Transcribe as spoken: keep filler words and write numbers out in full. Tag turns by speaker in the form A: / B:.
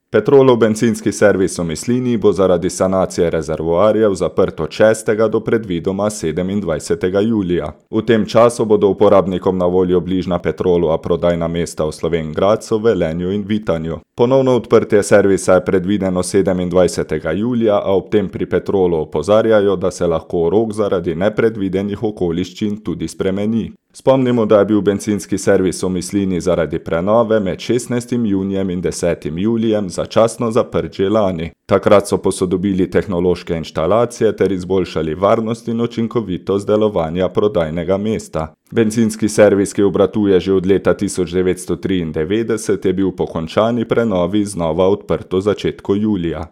A: Petrolov bencinski servis v Mislinji bo zaradi sanacije rezervoarjev zaprt od šestega do predvidoma sedemindvajsetega julija. V tem času bodo uporabnikom na voljo bližnja Petrolova prodajna mesta v Slovenj Gradcu, Velenju in Vitanju. Ponovno odprtje servisa je predvideno sedemindvajsetega julija, a ob tem pri Petrolu opozarjajo, da se lahko rok zaradi nepredvidenih okoliščin tudi spremeni. Spomnimo, da je bil bencinski servis v Mislinji zaradi prenove med šestnajstim junijem in desetim julijem začasno zaprt že lani. Takrat so posodobili tehnološke inštalacije ter izboljšali varnost in učinkovitost delovanja prodajnega mesta. Bencinski servis, ki obratuje že od leta tisoč devetsto triindevetdeset, je bil po končani prenovi znova odprt v začetku julija.